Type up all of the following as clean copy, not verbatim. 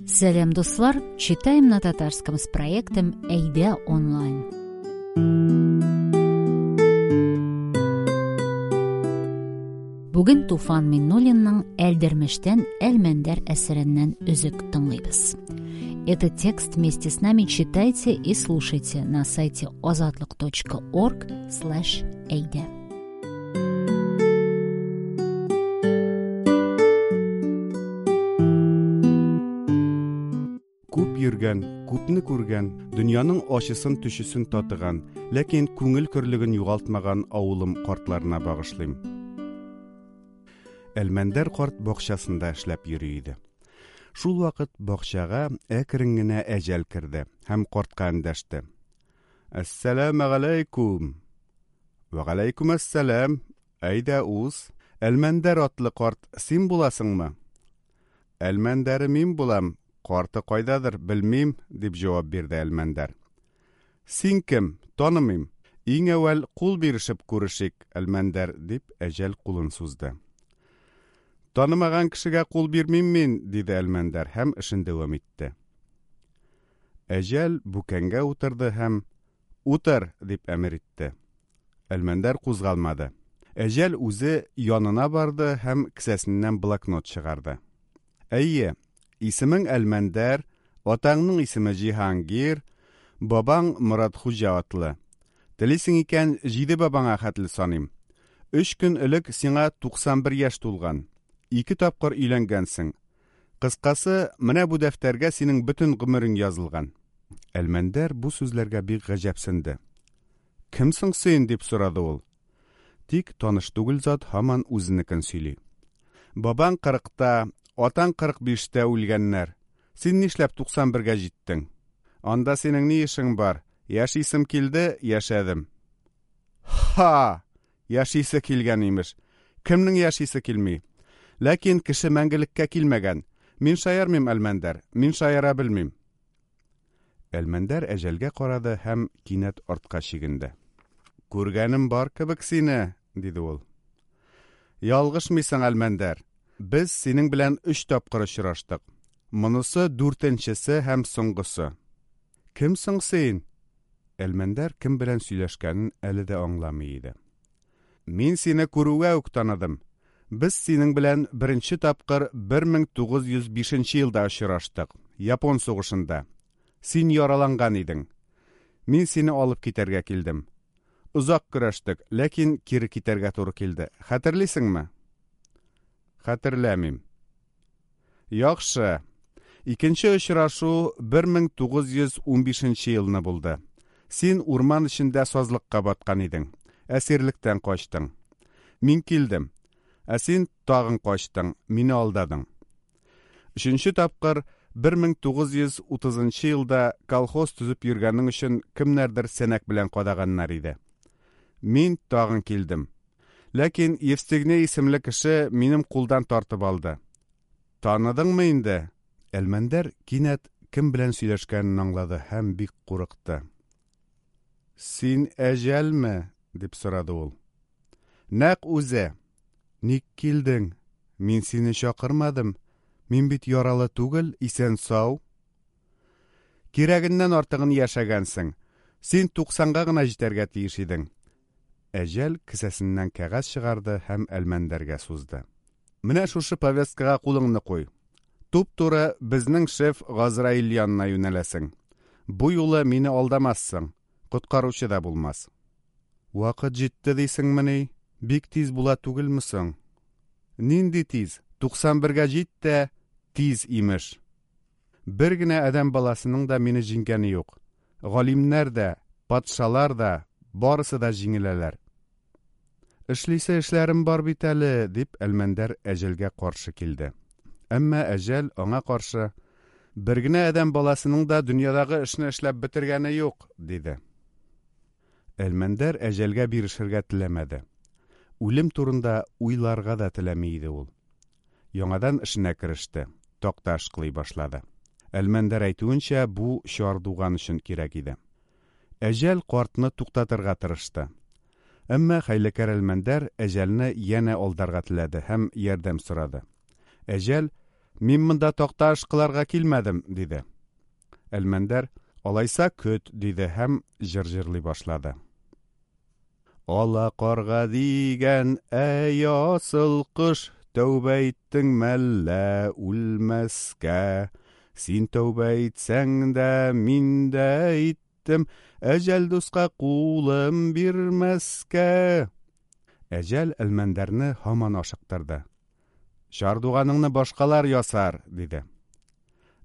Сәлам, дуслар! Читаем на татарском с проектом Әйдә онлайн. Бүген Туфан Миңнуллинның Әлдермештән Әлмәндәр әсәреннән өзек тыңлыйбыз. Этот текст вместе с нами читайте и слушайте на сайте azatlyk.org слэш әйдә. Күп йөргән, күпне күргән, дөньяның ачысын-төчесен татыган, ләкин күңел көрлеген югалтмаган авылым картларына багышлыйм. Әлмәндәр карт бакчасында эшләп йөри иде. Шул вакыт бакчага әкрен генә әҗәл керде һәм картка эндәште. Әссәламегаләйкүм! Вәгаләйкүм әссәлам! Әйдә уз! Әлмәндәр атлы карт син буласыңмы? Әлмәндәре мин булам, карты кайдадыр, белмим, дип җавап бирде Әлмәндәр. Син кем? Танымыйм. Иң әүвәл кул бирешеп күрешик, Әлмәндәр, дип әҗәл кулын сузды. Танымаган кешегә кул бирмим мин, диде Әлмәндәр һәм эшен дәвам итте. Әҗәл бүкәнгә утырды һәм, Утыр! дип әмер итте. Әлмәндәр кузгалмады. Әҗәл үзе янына барды һәм кесәсеннән блокнот чыгарды. Әйе, исемең Әлмәндәр, атаңның исеме Җиһангир, бабаң Моратхуҗа атлы. Телисең икән, җиде бабаңа хәтле саныйм. Өч көн элек сиңа 91 яшь тулган. Ике тапкыр өйләнгәнсең. Кыскасы, менә бу дәфтәргә синең бөтен гомерең язылган. Әлмәндәр бу сүзләргә бик гаҗәпсенде. Кем соң син? дип сорады ул. Тик таныш түгел зат һаман үзенекен сөйли. Бабаң кырыкта, атаң 45 тә үлгәннәр. Син нишләп 91 гә җиттең? Анда синең ни эшең бар? Яшисем килде, яшәдем. Ха! Яшисе килгән, имеш. Кемнең яшисе килми? Ләкин кеше мәңгелеккә килмәгән. Мин шаярмыйм, Әлмәндәр. Мин шаяра белмим. Әлмәндәр әҗәлгә карады һәм кинәт артка чигенде. Күргәнем бар кебек сине, диде ул. Ялгышмыйсың, Әлмәндәр. Без синең белән өч тапкыр очраштык. Монысы дүртенчесе һәм соңгысы. Кем соң син? Әлмәндәр кем белән сөйләшкәнен әле дә аңламый иде. Мин сине күрүгә үк таныдым. Без синең белән беренче тапкыр 1905 елда очраштык, Япон сугышында. Син яраланган идең. Мин сине алып китәргә килдем. Озак көрәштек, ләкин кире китәргә туры килде. Хәтерлисеңме? Хәтерләмим. Яхшы. Икенче очрашу 1915 елны булды. Син урман эчендә сазлыкка баткан идең. Әсирлектән качтың. Мин килдем. Ә син тагын качтың, мине алдадың. Өченче тапкыр 1930 елда колхоз төзеп йөргәнең өчен кемнәрдер сәнәк белән кадаганнар иде. Мин тагын килдем. Ләкин Евстигней исемле кеше минем кулдан тартып алды. Таныдыңмы инде? Әлмәндәр кинәт кем белән сөйләшкәнен аңлады һәм бик курыкты. Син әҗәлме? дип сорады ул. Нәкъ үзе. Ник килдең? Мин сине чакырмадым. Мин бит яралы түгел, исән-сау. Кирәгеннән артыгын яшәгәнсең. Син туксанга гына җитәргә тиеш идең. Әҗәл кесәсеннән кәгазь чыгарды һәм Әлмәндәргә сузды. Менә шушы повесткага кулыңны куй. Туп-туры безнең шеф Газраил янына юнәләсең. Бу юлы мине алдамассың, коткаручы да булмас. Вакыт җитте дисеңмени? Бик тиз була түгелме соң? Нинди тиз? 91 гә җит тә, тиз, имеш. Бер генә адәм баласының да мине җиңгәне юк. Галимнәр дә, патшалар да, барысы да җиңеләләр. Эшлисе эшләрем бар бит әле, дип Әлмәндәр әҗәлгә каршы килде. Әмма әҗәл аңа каршы, Бер генә адәм баласының да дөньядагы эшне эшләп бетергәне юк, диде. Әлмәндәр әҗәлгә бирешергә теләмәде. Үлем турында уйларга да теләми иде ул. Яңадан эшенә кереште, такта ышкылый башлады. Әлмәндәр әйтүенчә, бу чардуган өчен кирәк иде. Әҗәл картны туктатырга тырышты. Әмма хәйләкәр Әлмәндәр Әҗәлне янә алдарга теләде һәм ярдәм сорады. Әҗәл, Мин монда такта ышкыларга килмәдем, диде. Әлмәндәр, алайса көт, диде һәм җыр җырлый башлады. Ала карга дигән, әй асыл кош, тәүбә иттең мәллә үлмәскә? Син тәүбә итсәң дә, мин дә иттем, әҗәл дуска кулым бирмәскә. Әҗәл Әлмәндәрне һаман ашыктырды. Чардуганыңны башкалар ясар, диде.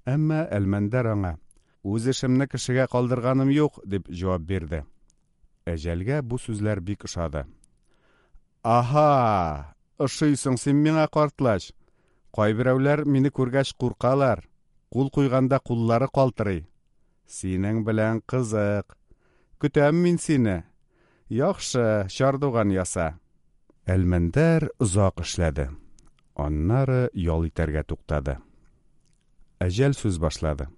Әмма Әлмәндәр аңа, Үз эшемне кешегә калдырганым юк, дип җавап бирде. Әҗәлгә бу сүзләр бик ошады. Аһа! Ошыйсың син миңа, картлач! Кайберәүләр мине күргәч куркалар, кул куйганда куллары калтырый. Синең белән кызык. Көтәм мин сине. Яхшы, чардуган яса. Әлмәндәр озак эшләде. Аннары ял итәргә туктады. Әҗәл сүз башлады.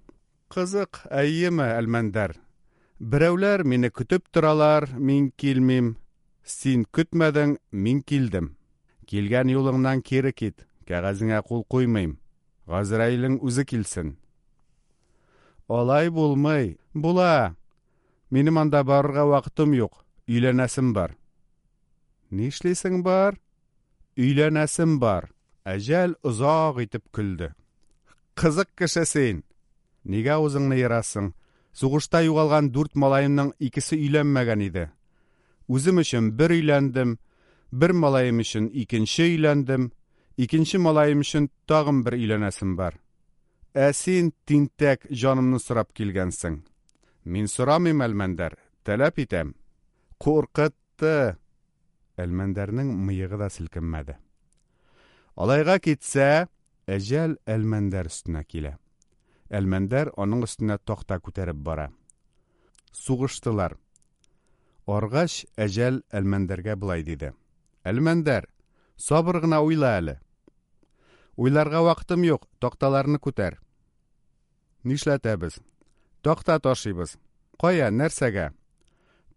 Кызык, әйеме, Әлмәндәр? Берәүләр мине көтеп торалар, мин килмим. Син көтмәдең, мин килдем. Килгән юлыңнан кире кит, кәгазеңә кул куймыйм. Газраилең үзе килсен. Алай булмый. Була. Минем анда барырга вакытым юк. Өйләнәсем бар. Нишлисең бар? Өйләнәсем бар. Әҗәл озак итеп көлде. Кызык кеше син! Нигә авызыңны ерасың? Сугышта югалган дүрт малаемның икесе өйләнмәгән иде. Үзем өчен бер өйләндем, бер малаем өчен икенче өйләндем, икенче малаем өчен тагын бер өйләнәсем бар. Ә син, тинтәк, җанымны сорап килгәнсең. Мин сорамыйм, Әлмәндәр, таләп итәм. Куркытты! Әлмәндәрнең мыегы да селкенмәде. Алайга китсә, әҗәл Әлмәндәр өстенә килә. Әлмәндәр аның өстенә такта күтәреп бара. Сугыштылар. Аргач, әҗәл Әлмәндәргә болай диде. Әлмәндәр, сабыр гына уйла әле. Уйларга вакытым юк, такталарны күтәр. Нишләтәбез? Такта ташыйбыз. Кая, нәрсәгә?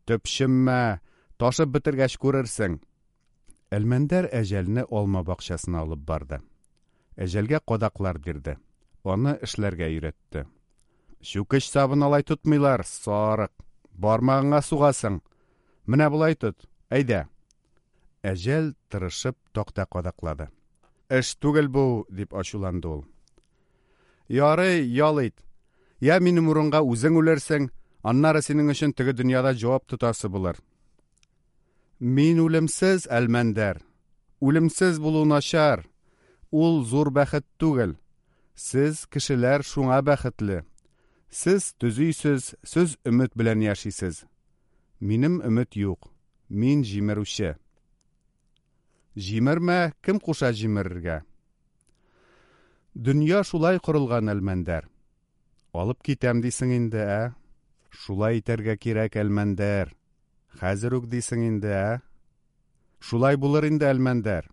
Төпченмә, ташып бетергәч күрерсең. Әлмәндәр Әҗәлне алма бакчасына алып барды. Әҗәлгә кадаклар бирде. Аны эшләргә өйрәтте. Чүкеч сабын алай тотмыйлар, сарык. Бармагыңа сугасың. Менә болай тот. Әйдә. Әҗәл тырышып такта кадаклады. Эш түгел бу, дип ачуланды ул. Ярый, ял ит. Я минем урынга үзең үлерсең, аннары синең өчен теге дөньяда җавап тотасы булыр. Мин үлемсез, Әлмәндәр. Үлемсез булу начар. Ул зур бәхет түгел. Сез, кешеләр, шуңа бәхетле. Сез төзисез, сез өмет белән яшисез. Минем өмет юк. Мин җимерүче. Җимермә, кем куша җимерергә? Дөнья шулай корылган, Әлмәндәр. Алып китәм дисең инде, ә? Шулай итәргә кирәк, Әлмәндәр. Хәзер үк дисең инде, ә? Шулай булыр инде, Әлмәндәр.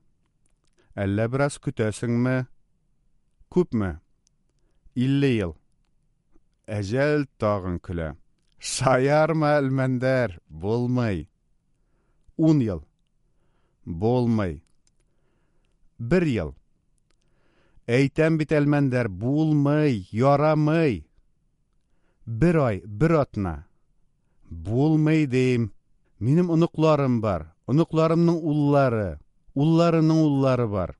Әллә бераз көтәсеңме? Күпме? 50 ел. Әҗәл тагын көлә. Шаярма, Әлмәндәр, булмый. Ун ел. Булмый. Бер ел. Әйтәм бит, Әлмәндәр, булмый, ярамый. Бер ай, бер атна. Булмый, дим. Минем оныкларым бар, оныкларымның уллары, улларының уллары бар.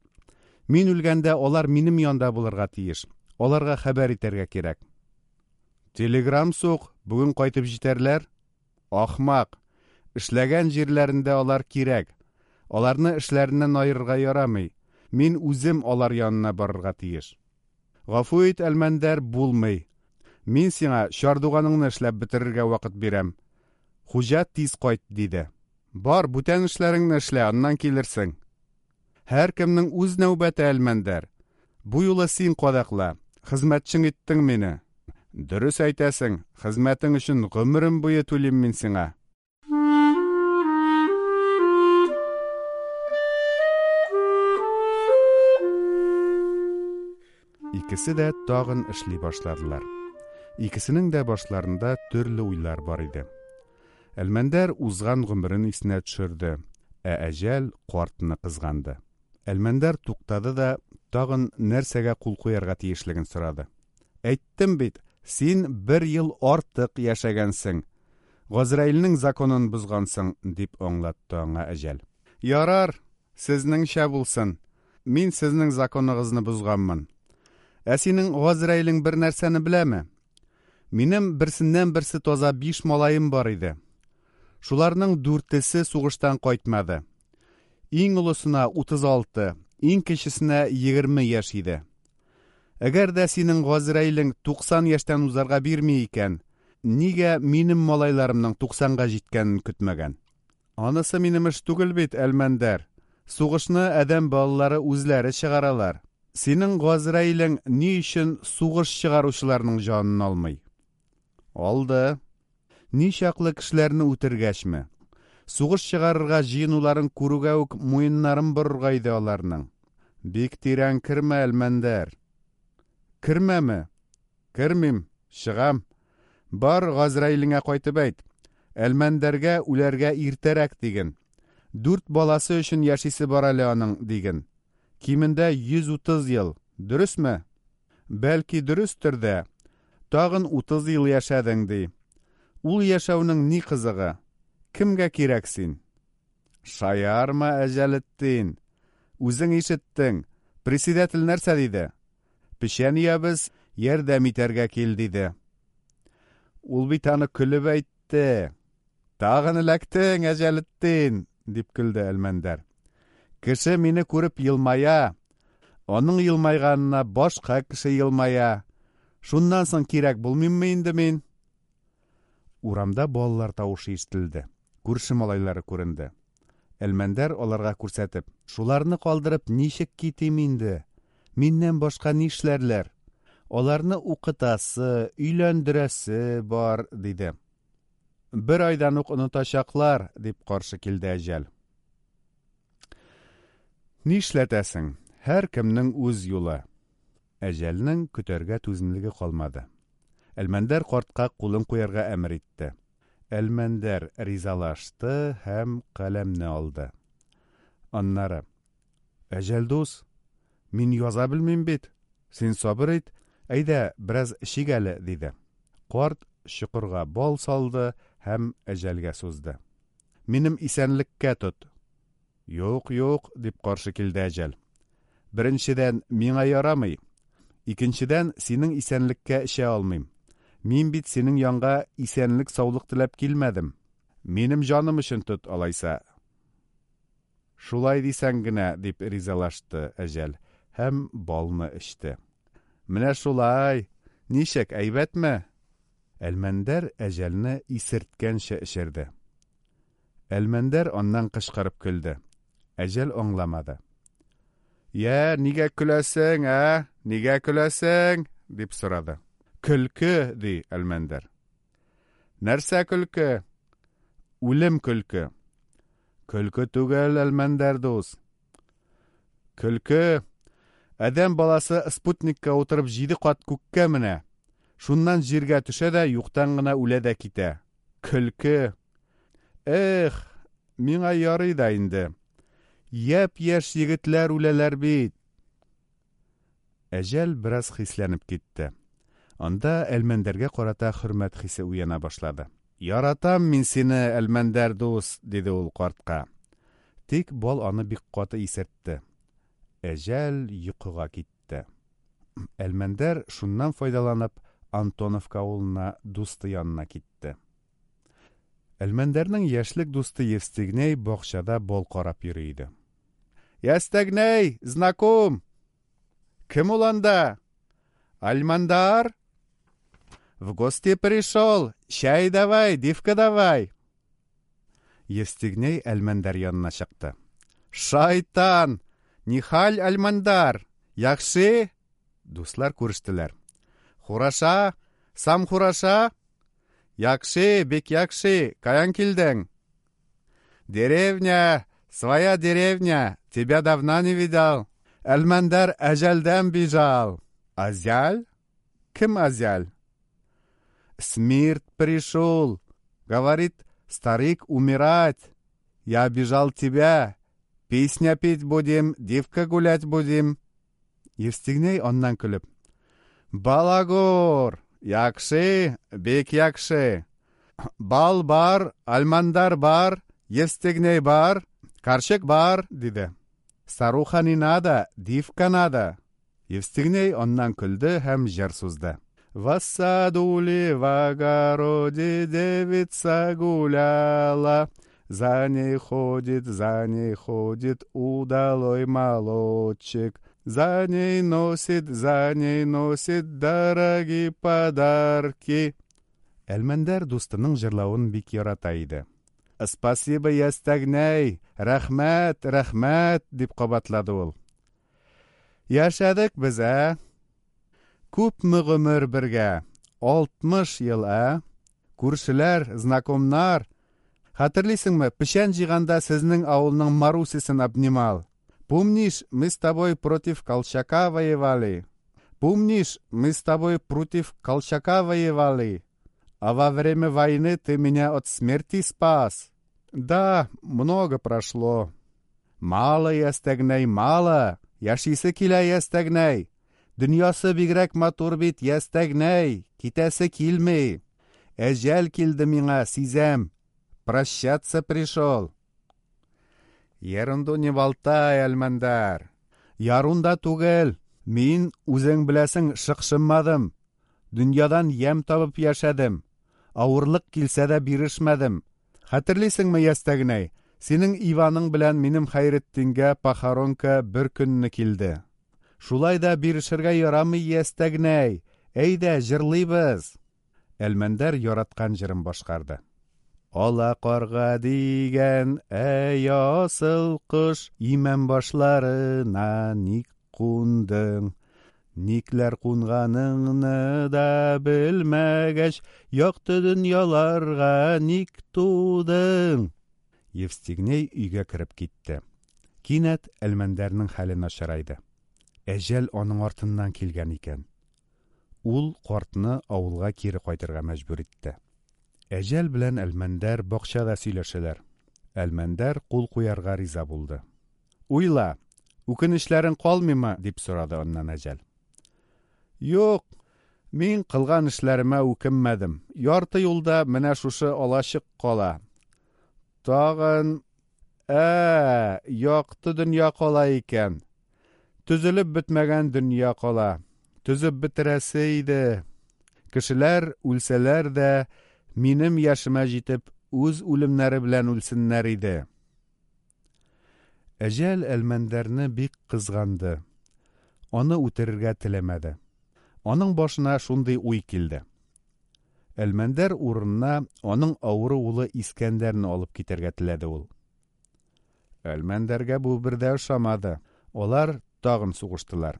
Мин үлгәндә алар минем янда булырга тиеш. Аларга хәбәр итәргә кирәк. Телеграм сук, бүген кайтып җитәрләр. Ахмак! Эшләгән җирләрендә алар кирәк. Аларны эшләреннән аерырга ярамый. Мин үзем алар янына барырга тиеш. Гафу ит, Әлмәндәр, булмый. Мин сиңа чардуганыңны эшләп бетерергә вакыт бирәм. Хуҗа тиз кайт, диде. Бар, бүтән эшләреңне эшлә, аннан килерсең. Һәркемнең үз нәүбәте, Әлмәндәр. Бу юлы син кадакла. Хезмәтчең иттең мине. Дөрес әйтәсең, хезмәтең өчен гомерем буе түлим мин сиңа. Икесе дә тагын эшли башладылар. Икесенең дә башларында төрле уйлар бар иде. Әлмәндәр узган гомерен исенә төшерде, ә Әҗәл картны кызганды. Әлмәндәр туктады да Тагын нәрсәгә кул куярга тиешлеген сорады. Әйттем бит, син бер ел артык яшәгәнсең. Газраилнең законын бозгансың, дип аңлатты аңа Әҗәл. Ярар, сезнеңчә булсын. Мин сезнең законыгызны бозганмын. Ә синең Газраилең бер нәрсәне беләме? Минем берсеннән-берсе таза биш малаем бар иде. Шуларның дүртесе сугыштан кайтмады. Иң олысына 36, иң кечесенә 20 яшь иде. Әгәр дә синең Газраилең 90 яшьтән узарга бирми икән, нигә минем малайларымның 90-га җиткәнен көтмәгән? Анысы минем эш түгел бит, Әлмәндәр. Сугышны адәм балалары үзләре чыгаралар. Синең Газраилең ни өчен сугыш чыгаручыларның җанын алмый? Алды. Ничаклы кешеләрне үтергәчме? Сугыш чыгарырга җыенуларын күрүгә үк муеннарын борырга иде аларның. Бик тирән кермә, Әлмәндәр. Кермәме? Кермим, чыгам. Бар, Газраилеңә кайтып әйт. Әлмәндәргә үләргә иртәрәк диген. Дүрт баласы өчен яшисе бар әле аның, диген. Кимендә 130 ел. Дөресме? Бәлки дөрестер дә. Тагын 30 ел яшәдең, ди. Ул яшәүнең ни кызыгы? Кемгә кирәк син? Шаярма, Әҗәлетдин. Үзең ишеттең. Председатель нәрсә диде? Печән өябез, ярдәм итәргә кил, диде. Ул бит аны көлеп әйтте. Тагын эләктең, Әҗәлетдин, дип көлде Әлмәндәр. Кеше мине күреп елмая. Аның елмайганына башка кеше елмая. Шуннан соң кирәк булмыйммы инде мин? Урамда балалар тавышы ишетелде. Күрше малайлары күренде. Әлмәндәр аларга күрсәтеп, Шуларны калдырып ничек китим инде? Миннән башка нишләрләр? Аларны укытасы, өйләндерәсе бар, диде. Бер айдан ук онытачаклар, дип каршы килде Әҗәл. Нишләтәсең? Һәркемнең үз юлы. Әҗәлнең көтәргә түземлеге калмады. Әлмәндәр картка кулын куярга әмер итте. Әлмәндәр ризалашты һәм каләмне алды. Аннары: "Әҗәл дус, мин яза белмим бит. Син сабыр ит, әйдә, бераз эчик әле", диде. Карт чокырга бал салды һәм Әҗәлгә сузды. "Минем исәнлеккә тот. Юк, юк, дип каршы килде Әҗәл. Беренчедән, миңа ярамый. Икенчедән, синең исәнлеккә эчә алмыйм. Мин бит синең янга исәнлек-саулык теләп килмәдем. Минем җаным өчен тот, алайса. Шулай дисәң генә, дип ризалашты Әҗәл һәм балны эчте. Менә шулай! Ничек, әйбәтме? Әлмәндәр Әҗәлне исерткәнче эчерде. Әлмәндәр аннан кычкырып көлде. Әҗәл аңламады. Йә, нигә көләсең, ә? Нигә көләсең? дип сорады. Көлке, ди Әлмәндәр. Нәрсә көлке? Үлем көлке. Көлке түгел, Әлмәндәр дус. Көлке. Адәм баласы спутникка утырып җиде кат күккә менә. Шуннан җиргә төшә дә юктан гына үлә дә китә. Көлке. Эх, миңа ярый да инде. Япь-яшь егетләр үләләр бит. Әҗәл бераз хисләнеп китте. Анда Әлмәндәргә карата хөрмәт хисе уяна башлады. Яратам мин сине, Әлмәндәр дус, диде ул картка. Тик бал аны бик каты исертте. Әҗәл йокыга китте. Әлмәндәр, шуннан файдаланып, Антоновка авылына дусты янына китте. Әлмәндәрнең яшьлек дусты Евстигней бакчада бал карап йөри иде. Ястәгнәй, знаком! Кем ул анда? Альмандар? В гости пришел! Чәй давай, дивка давай! Евстигней Әлмәндәр янына чыкты. Шайтан! Нихаль, Әлмәндәр? Яхшы? Дуслар күрештеләр. Хураша? Сам хураша? Яхшы, бик яхшы. Каян килдең? Деревня, своя деревня. Тебя давно не видал. Әлмәндәр әҗәлдән бижал. Азяль? Кем Азяль? Смерть пришел. Говорит, старик умирать. Я обижал тебя. Песня петь будем, девка гулять будем. Евстигней аннан көлеп: "Балагур! Якшы, бик якшы. Бал бар, Альмандар бар, Евстигней бар, карчык бар", диде. "Старуха не надо, дивка надо". Евстигней аннан көлде һәм җыр сузды. В саду ли, в огороде девица гуляла, За ней ходит, за ней ходит удалой молодчик. За ней носит, за ней носит дорогие подарки. Әлмәндәр дустының җырлавын бик ярата иде. Спасибо, Ястәгнәй! Рәхмәт, рәхмәт! дип кабатлады ул. Яшәдек без, ә? Күпме гомер бергә? 60 ел, ә? Күршеләр, знакомнар. Хәтерлисеңме, печән җыйганда сезнең авылның Марусясын обнимал? Помнишь, мы с тобой против Колчака воевали? Помнишь, мы с тобой против Колчака воевали? А во время войны ты меня от смерти спас. Да, много прошло. Мало, Ястәгнәй, мало. Яшисе килә, Ястәгнәй. Дөньясы бигрәк матур бит, Ястәгнәй. Китәсе килми. Әҗәл килде миңа, сизәм. Прощаться пришел. Ерунду не болтай, Әлмәндәр. Ярунда түгел. Мин, үзең беләсең, шыкшынмадым. Дөньядан ямь табып яшәдем. Авырлык килсә дә бирешмәдем. Хәтерлисеңме, Ястәгнәй, синең Иваның белән минем Хәйретдингә похоронка бер көнне килде. Шулай да бирешергә ярамый, Ястәгнәй. Әйдә, җырлыйбыз. Әлмәндәр яраткан җырын башкарды. Ала карга дигән, әй асыл кош, имән башларына ник кундың? Никләр кунганыңны да белмәгәч, якты дөньяларга ник тудың? Евстигней өйгә кереп китте. Кинәт Әлмәндәрнең хәле начарайды. Әҗәл аның артыннан килгән икән. Ул картны авылга кире кайтырга мәҗбүр итте. Әҗәл белән Әлмәндәр бакчада сөйләшәләр. Әлмәндәр кул куярга риза булды. Уйла, үкенечләрең калмыймы? дип сорады аннан Әҗәл. Юк, мин кылган эшләремә үкенмәдем. Ярты юлда менә шушы алачык кала. Тагын, ә, якты дөнья кала икән. Төзелеп бетмәгән дөнья кала. Төзеп бетерәсе иде. Кешеләр үлсәләр дә, минем яшемә җитеп, үз үлемнәре белән үлсеннәр иде. Әҗәл Әлмәндәрне бик кызганды. Аны үтерергә теләмәде. Аның башына шундый уй килде. Әлмәндәр урынына аның авыру улы Искәндәрне алып китәргә теләде ул. Әлмәндәргә бу бер дә ошамады. Алар тагын сугыштылар.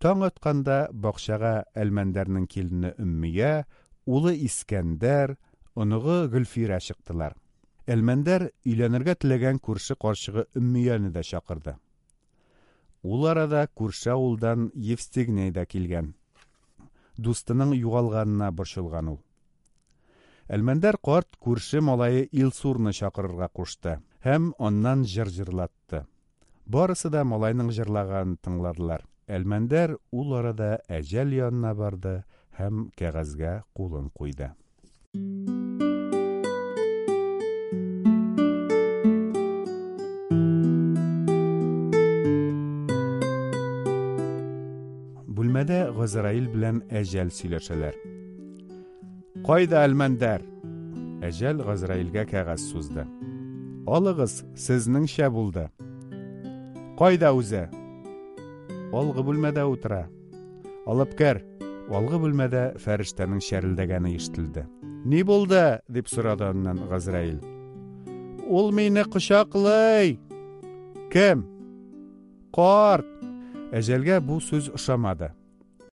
Таң атканда бакчага Әлмәндәрнең килене Өммия, улы Искәндәр, оныгы Гөлфирә чыктылар. Әлмәндәр өйләнергә теләгән күрше карчыгы Өммияне дә чакырды. Ул арада күрше авылдан Евстигней да килгән. Дустының югалганына борчылган ул. Әлмәндәр карт күрше малае Илсурны чакырырга кушты һәм аннан җыр җырлатты. Барысы да малайның җырлаганын тыңладылар. Әлмәндәр ул арада әҗәл янына барды һәм кәгазьгә кулын куйды. Бүлмәдә Газраил белән Әҗәл сөйләшәләр. Кайда Әлмәндәр? Әҗәл Газраилгә кәгазь сузды. Алыгыз, сезнеңчә булды. Кайда үзе? Алгы бүлмәдә утыра. Алып кер. Алгы бүлмәдә фәрештәнең чәрелдәгәне ишетелде. Ни булды? дип сорады аннан Газраил. Ул мине кочаклый. Кем? Карт. Әҗәлгә бу сүз ошамады.